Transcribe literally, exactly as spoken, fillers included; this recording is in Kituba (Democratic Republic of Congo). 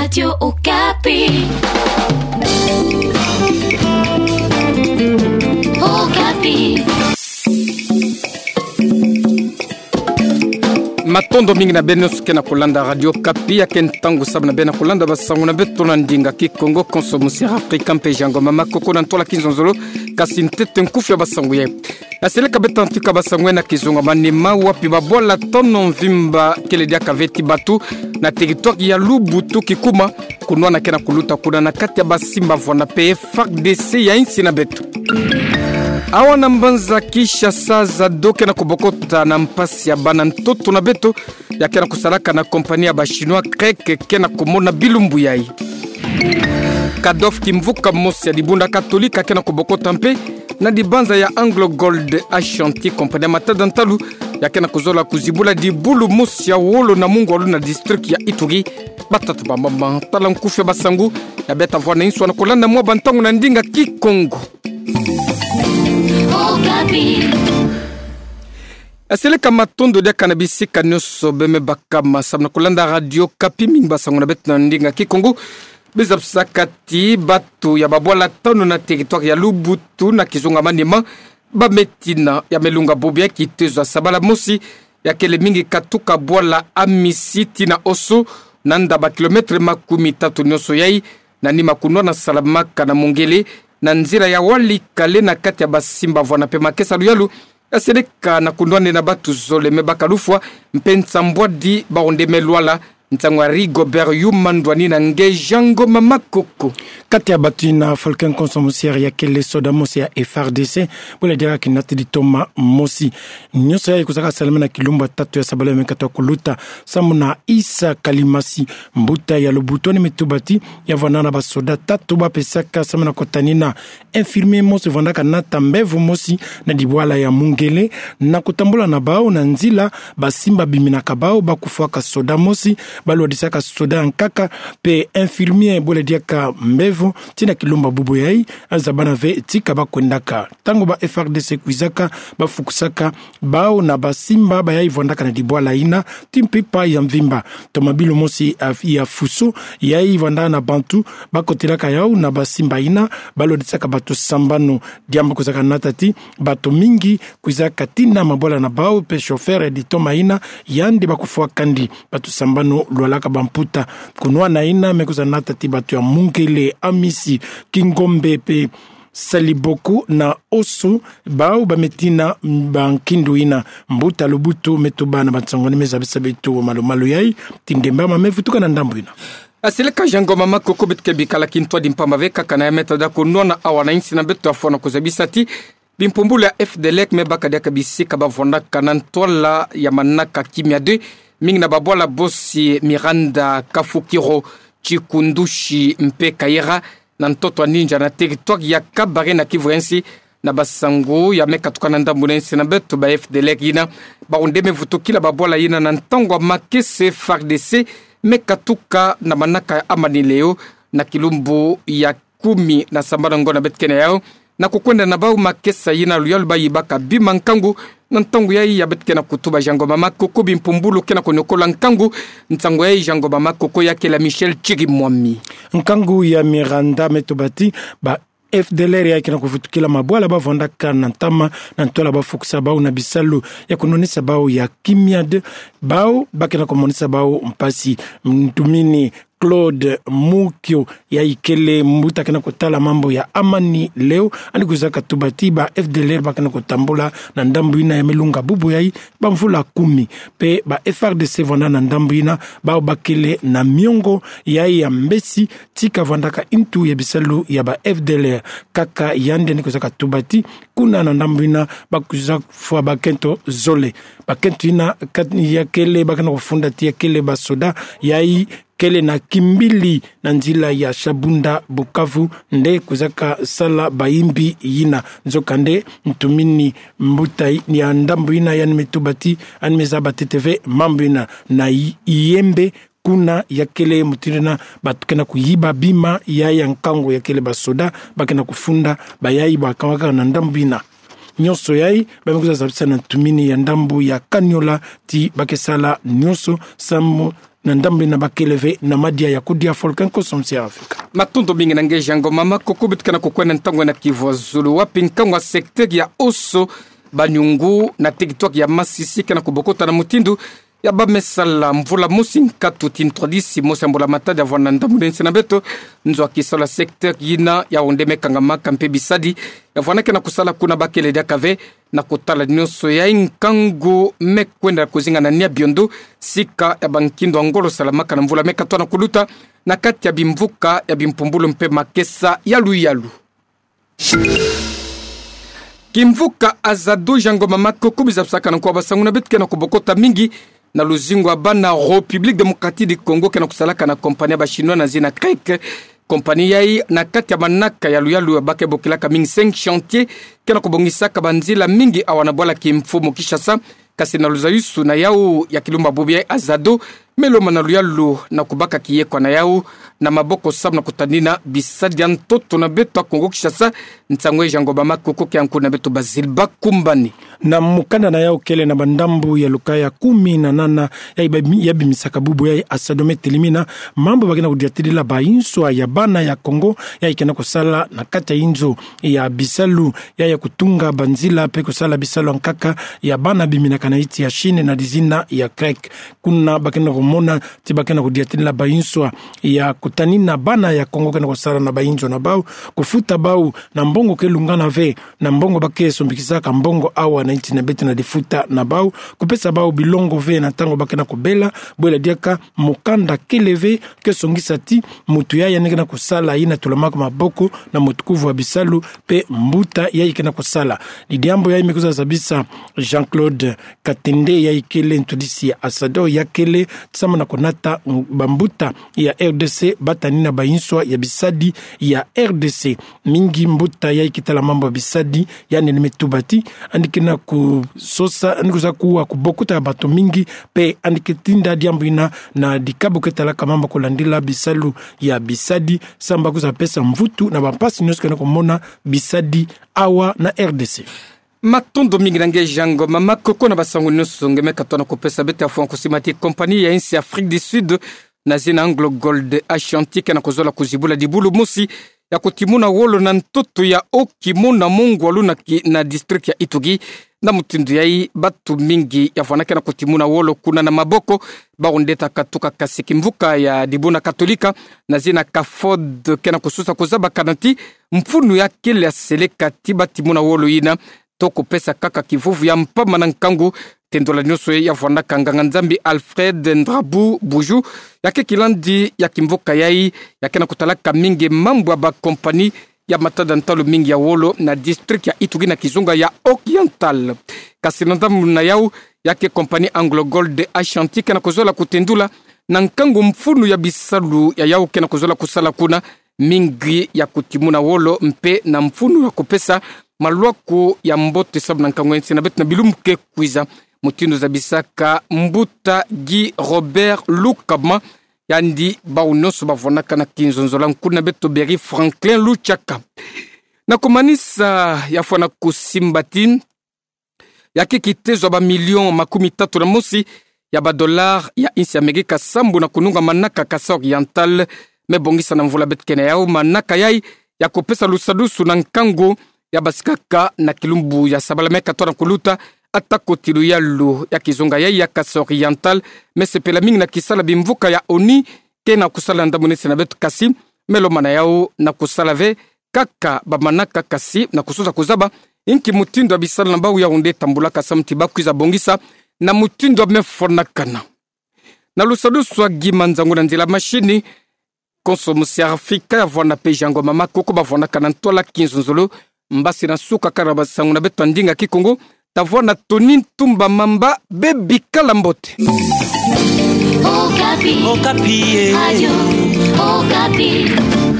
Radio Okapi. Okapi. Matondo mingi na beno nyonso ke na kulanda Radio Okapi, ya ke ntangu sababu na beno kulanda basangu na beto na ndinga Kikongo, konso musi Afrika mpe Jean Ngoma Makoko na ntwala kizonzolo. Kasi ntete nkufi ya basangu ye. Aseleka beto na ntika basangu ye na kizunga manima, wapi babwala tano mvimba kele diaka veti batu na territoire ya Lubutu Kikuma, kunwana ke na kuluta kuna na kati ya basimba vwanda pe F A R D C ya insi na beto. Awa na mbanza Kinshasa, Zado ke na kubokota na mpasi ya bana ntoto na beto, ya ke na kusalaka na compagnie ya ba Chinois Krek ke na kumona bilumbu yai. Kadof, kimvuka mosi ya dibunda Katolika ke na kubokota mpe na dibanza ya Anglo Gold Ashanti, compagnie ya matada ntalu, ya ke na kuzola kuzibula dibulu mosi ya wolo na mungwalu na district ya Ituri. Batata bamama, tala nkufi ya basangu ya beta vwa na insu na kulanda mwa bantangu na ndinga Kikongo. Okapi. Aseleka matondo diaka na bisika nyonso beno me bakama sababu na kulanda Radio Okapi. Mingi basangu na beto na ndinga Kikongo. Biza bisaka ti batu ya babwala tano na territoire ya Lubutu na kizunga manima, ba me tina ya melunga bubu ya kitezo ya sabala mosi, ya kele mingi katuka bwala Amisi tii na Osu, na nda ba kilomètre makumi tatu nyonso yai, na nima kunwana salamaka na Mungele, na nzila ya Walikale na kati ya basimba vwanda pe makesa luyalu, aseleka na kunwan'e na batu zole me baka lufwa, mpe nsambwadi bawu nde me lwala. Nsangu ya Rigobert Yuma, ndwani na nge Jean Ngoma Makoko. Kati ya batu ina, Falcon Consommation ya kele soda mosi ya F A R D C, bwele diaka kinati di toma mosi. Nyonso yai kuzaka salama na kilumbu ya tatu ya sabala ya me katuka kuluta, samu na Issa Kalimasi, mbuta ya Lubutu, ani me tuba ti ya vwanda na basoda tatu ba pesaka samu na kutanina infirmier mosi vwandaka nata mbevo mosi na dibwala ya Mungele, na kutambula na bawu na nzila basimba biminaka bawu ba kufwaka soda mosi, ba lwadisaka soda ya nkaka, mpe infirmier bwele diaka mbevo, tii na kilumbu ya bubu yai, a zabana ve tika ba kwendaka. Ntangu ba F A R D C kwizaka, ba fukusaka bawu na basimba bayai vwandaka na dibwala ina, tii mpimpa ya mvimba. Tomabilu mosi ya, ya fuso, yai vwanda na bantu, ba kotelaka yawu na basimba ina, ba lwadisaka bato sambanu. Diambu kuzaka nata ti bato mingi kwiza katina mabwala na bawu, mpe chauffeur di toma ina, yandi ba kufwa kandi. Bato sambanu lwalaka bamputa. Kunwana ina me kwiza nata ti bato ya Mungele, Amisi, Kingombe, mpe Saliboku na Osu, bawu ba me tina ba nkindu ina. Mbuta Lubutu me tuba na bansangu ni me zabisa beto malu-malu yai, ti ndemba ma me vutuka na ndambu ina. Aseleka Jean Ngoma Makoko, beto ke bikala kintwadi mpamba ve kaka na ya me tada kunwana awa na insi na beto, afwana kuzabisa ti bimpumbulu ya F D L R me baka diaka bisika ba vwandaka na ntwala ya manaka Kimia deux, mingi na babwala bosi Miranda, Kafukiro, Chikundushi mpe Kayera, na ntoto ya Ninja na territoire ya Kabare na Kivu ya nsi, na basangu ya me katuka na ndambu na insi na beto, ba F D L R ina, bawu nde me vutukila babwala ina na ntangu ya makesa F A R D C me katuka na manaka ya Amani Leo, na kilumbu ya kumi na sambanu ngo na beto ke na yawu, na kukwenda na bawu makesa ina luyalu ba yibaka bima nkangu. Na ntangu yai ya beto ke na kutuba Jean Ngoma Makoko, bimpumbulu ke na kuniokola nkangu. Nsangu yai Jean Ngoma Makoko, ya kele Michel Chirimwami. Nkangu ya Miranda me tuba ti ba F D L R yai ke na kuvutukila mabwala ba vwandaka na ntama, na ntwala ba fukisa bawu na bisalu ya kunwanisa bawu ya Kimia deux, bawu ba ke na kumonisa bawu mpasi. Ntumini Claude Mukio, yai kele mbuta ke na kutala mambu ya Amani Leo, ani kwiza katuba ti ba F D L R ba ke na kutambula na ndambu ina ya me lunga bubu yai bamvula kumi. Mpe ba F A R D C vwanda na ndambu ina, bawu ba kele na miongo yai ya mbesi, tika vwandaka ntu ya bisalu ya ba F D L R. Kaka yandi ani kwiza katuba ti kuna na ndambu ina ba kwiza fwa bakento zole. Bakento ina kat-, ya kele ba ke na kufunda ti ya kele basoda yai kele na kimbili na nzila ya Shabunda Bukavu nde kwizaka sala bayimbi yina. Nzokande ntumini mbuta ya ndambu yina yandi me tuba ti yandi me zaba ntete ve mambu yina na Yi-, Yembe, kuna ya kele mutindu yina bato ke na kuyiba bima ya, ya nkangu ya kele basoda ba ke na kufunda bayai bakawaka na ndambu yina. Nyonso yai ba me kwiza zabisa na ntumini ya ndambu ya Kaniola ti ba ke sala nyonso samu na ndambu na bakele ve na madia ya kudia folke nkoso musi ya Afrika. Matondo mingi na nge Jean Ngoma Makoko. Beto ke na kukwenda ntangu na kivwa zulu wapi nkangu wa secteur ya Oso, Banyungu na territoire ya Masisi ke na kubokota na mutindu ya bamesala mvula mosi nkatu ti ntwadisi mosi ya mbula matadi ya vwanda na ndambu na nsi na beto. Nzo ya kisalu ya secteur yina ya onde me kangamaka mpe bisadi ya vwanda ke na kusala kuna bakele diaka ve na kutala nionso ya nkangu me kwenda kuzinga na nia biondo sika ya bankindo ya ngolo salamaka na mvula me katwa na kuluta na kati ya bimvuka ya bimpumbulu mpe makesa ya luyalu. Kimvuka Azado, Jean Ngoma Makoko, biza bisaka na nko wa basangu na beto, ke na kubokota mingi na luzingu ya bana République Démocratique du Congo, ke na kusalaka na compagnie ya ba Chinois na zina CREC. Compagnie yayi na kati ya manaka ya luyalu ya ba ke bokilaka mingi cinq chantiers, ke na kubongisaka banzila mingi awa na bwala kimfumu Kinshasa. Kasi na luzayusu na yawu ya kilumbu ya bubu ya Azado, me lomba na luyalu na kubaka kiyekwa na yawu na maboko samu na kutanina bisadi ya ntoto na beto ya Kongo Kinshasa. Nsangu ya Jean Ngoma Makoko ke yanku na beto Basile Bakumbani. Na mukanda na yawu kele na bandambu ya lukaya kumi na nana, ya iba-, ya bimisaka bubu ya Azado me telimina mambu ba ke na kudiatila bayinswa ya bana ya Kongo, ya ke na kusala na kati ya inzo ya bisalu, ya ya kutunga banzila mpe kusala bisalu ya nkaka ya bana biminaka na insi ya Chine na dizina ya CREC. Kuna ba ke na kumona ti ba ke na kudiatila bayinswa ya kutanina bana ya Kongo ke na kusala na bayinzo na bawu, kufuta bawu na mbongo ke lungana ve na mbongo ba ke sombikisaka mbongo awa na insi na beto na difuta na bawu, kupesa bawu bilongo ve na ntangu ba ke na kubela. Bwela diaka mukanda kele ve ke songisa ti mutu ya yandi ke na kusala yina tulamaka maboko na mutukuvu wa bisalu mpe mbuta yayi ke na kusala. Ni diambu yayi me kwiza zabisa Jean-Claude Katende, yayi kele ntwadisi ya Azado, ya kele samu na kunata bambuta ya R D C ba tanina bayinswa ya bisadi ya R D C. Mingi mbuta yayi ke tala mambu ya bisadi, yandi ni me tuba ti yandi ke na kusosa, yandi kwiza kuwa kubokuta ya bato mingi, mpe yandi ke tinda diambu yina na dikabu ke talaka mambu ya kulandila bisalu ya bisadi, samu ba kwiza pesa mvutu na bampasi nionso ke na kumona bisadi awa na R D C. Matondo mingi na nge Jean Ngoma Makoko na basangu nionso nge me katwa na kupesa beto. Ya fwa na kusima ti compagnie ya insi ya Afrique du Sud na zina Anglo Gold Ashanti ke na kuzola kuzibula dibulu mosi ya kutimuna wolo na ntoto ya Okimo na mongwalu na ki-, na district ya Ituri. Na mutindu yayi, batu mingi ya vwanda ke na kutimuna wolo kuna na maboko. Bawu nde ta katuka kasi kimvuka ya dibuna Katolika na zina CAFOD ke na kusosa kuzabakana ti mfunu ya kele ya seleka ti ba timuna wolo yina to kupesa kaka kivuvu ya mpamba na nkangu. Tendula nionso ya vwandaka nganga-Nzambi Alfred Ndrabu Buju, ya ke kilandi ya kimvuka yayi, ya ke na kutalaka mingi mambu ya bakompani ya matada ntalu mingi ya wolo na district ya Ituri na kizunga ya Oriental. Kasi na ndambu na yawu, ya ke compagnie Anglo Gold Ashanti ke na kuzola kutendula na nkangu mfunu ya bisalu ya yawu ke na kuzola kusala kuna, mingi ya kutimuna wolo mpe na mfunu ya kupesa malwaku ya mbote samu na nkangu ya nsi na beto na bilumbu ke kwiza. Mutindu zabisaka mbuta Guy Robert Lukama, yandi bawu nionso ba vwandaka na kinzonzolo, nkundi na beto Berry Franklin Luchaka. Na kumanisa, ya fwa na kusimba ti ya ke kitezo ya ba million makumi tatu na mosi ya ba dollar ya insi ya Amerika sambu na kununga manaka Kasaï Oriental me bongisa na mvula beto ke na yawu. Manaka yayi ya kupesa lusadusu na nkangu ya basikaka na kilumbu ya sabala me katwa na kuluta, atako ti luyalu ya kizunga yayi ya Kasaï Oriental me sepela mingi na kisalu ya bimvuka ya ONU ke na kusala na ndambu na nsi na beto, kasi me lomba na yawu na kusala ve kaka bamanaka, kasi na kusosa kuzaba inki mutindu ya bisalu na bawu yawu nde tambulaka samu ti ba kwiza bongisa na mutindu ya me fwanakana. Na lusadusu ya Guy Manzangu na nzila machine, konso musi ya Afrika ya vwanda mpe Jean Ngoma Makoko ba vwandaka na ntwala kinzonzolo. Mbasi na suka kala basangu na beto ya ndinga Kikongo, ta vwanda Tony Ntumba Mamba, bebikala mbote. Okapi. Okapi, eh. Radio Okapi.